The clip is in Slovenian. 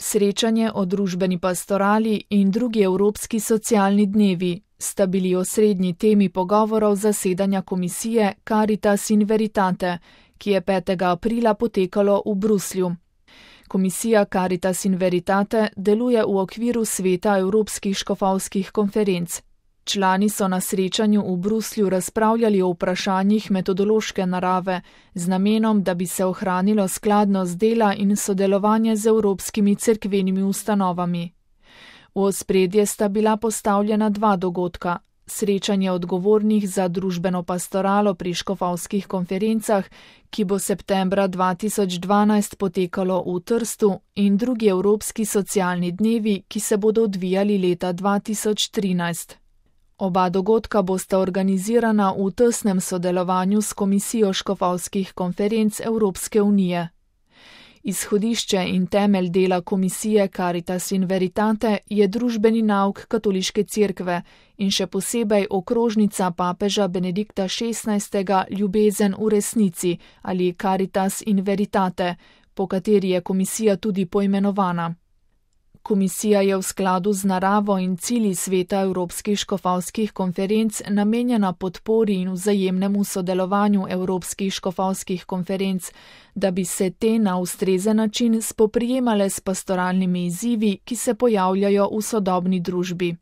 Srečanje o družbeni pastorali in drugi evropski socialni dnevi sta bili osrednji temi pogovorov zasedanja komisije Caritas in Veritate, ki je 5. aprila potekalo v Bruslju. Komisija Caritas in Veritate deluje v okviru sveta Evropskih škofovskih konferenc. Člani so na srečanju v Bruslju razpravljali o vprašanjih metodološke narave z namenom, da bi se ohranilo skladnost dela in sodelovanje z evropskimi cerkvenimi ustanovami. V ospredje sta bila postavljena 2 dogodka: srečanje odgovornih za družbeno pastoralo pri škofovskih konferencah, ki bo septembra 2012 potekalo v Trstu, in drugi evropski socialni dnevi, ki se bodo odvijali leta 2013. Oba dogodka bosta organizirana v tesnem sodelovanju s Komisijo škofovskih konferenc Evropske unije. Izhodišče in temelj dela komisije Caritas in Veritate je družbeni nauk katoliške cerkve in še posebej okrožnica papeža Benedikta XVI. Ljubezen v resnici ali Caritas in Veritate, po kateri je komisija tudi poimenovana. Komisija je v skladu z naravo in cilji sveta Evropskih škofovskih konferenc namenjena podpori in vzajemnemu sodelovanju Evropskih škofovskih konferenc, da bi se te na ustrezen način spoprijemale s pastoralnimi izzivi, ki se pojavljajo v sodobni družbi.